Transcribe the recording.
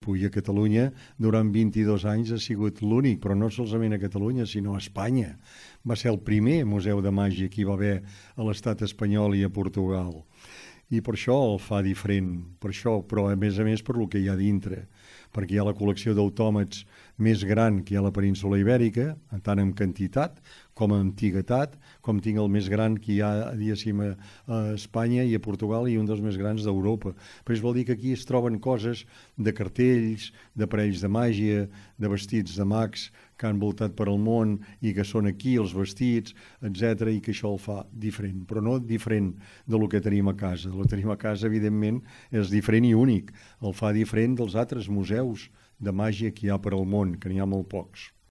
I a Catalunya durant 22 anys ha sigut l'únic, però no solament a Catalunya, sinó a Espanya. Va ser el primer museu de màgia que hi va haver a l'estat espanyol i a Portugal. I per això el fa diferent, per això, però a més per lo que hi ha dintre, perquè hi ha la col·lecció d'autòmats més gran que hi ha a la península Ibèrica, tant en quantitat com en antiguitat, com tinc el més gran que hi ha, diguéssim, a Espanya i a Portugal i un dels més grans d'Europa. Però això vol dir que aquí es troben coses de cartells, d'aparells de màgia, de vestits de mags que han voltat per al món i que són aquí els vestits, etc., i que això el fa diferent, però no diferent del que tenim a casa. El que tenim a casa, evidentment, és diferent i únic. El fa diferent dels altres museus de màgia que hi ha per al món, que n'hi ha molt pocs.